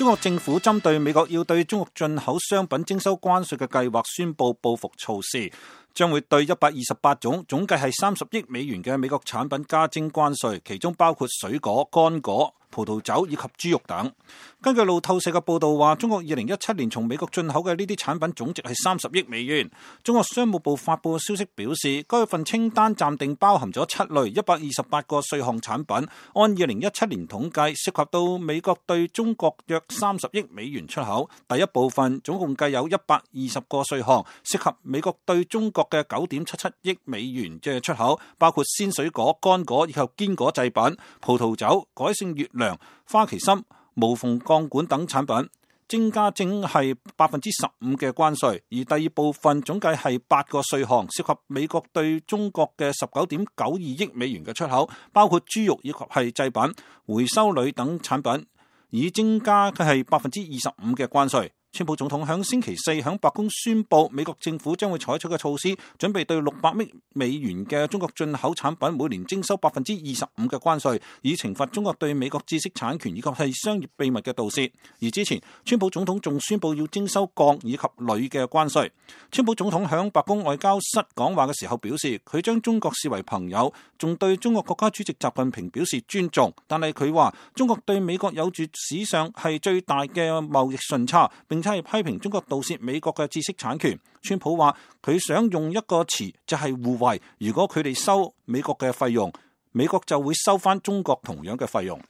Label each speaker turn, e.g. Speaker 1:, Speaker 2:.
Speaker 1: 中國政府針對美國要對中國進口商品徵收關稅嘅計劃宣布報復措施，將會對128種總計係30億美元嘅美國產品加徵關稅，其中包括水果、乾果、葡萄酒以及豬肉等。根據路透社嘅報道話，中國2017年從美國進口嘅呢啲產品總值係30億美元。中國商務部發布嘅消息表示，該份清單暫定包含咗7類128個稅項產品，按2017年統計，涉及到美國對中國約30億美元出口。第一部分總共計有120個稅項，涉及美國對中國嘅9.77億美元嘅出口，包括鮮水果、乾果以及堅果製品、葡萄酒、改性月亮、花旗參、無縫鋼管等產品，徵加係15%嘅關稅。而第二部分總計係8個稅項，涉及美國對中國嘅19.92億美元嘅出口，包括豬肉以及係製品、回收鋁等產品，以徵加係25%嘅關稅。川普總統響星期四響白宮宣布，美國政府將會採取嘅措施，準備對600億美元嘅中國進口產品每年徵收25%嘅關稅，以懲罰中國對美國知識產權以及係商業秘密嘅盜竊。而之前，川普總統仲宣布要徵收鋼以及鋁嘅關稅。川普總統響白宮外交室講話嘅時候表示，佢將中國視為朋友，仲對中國國家主席習近平表示尊重。但係佢話，中國對美國有住史上係最大嘅貿易順差，並且係批評中國盜竊美國嘅知識產權。川普話佢想用一個詞就係互惠，如果佢哋收美國嘅費用，美國就會收翻中國同樣嘅費用。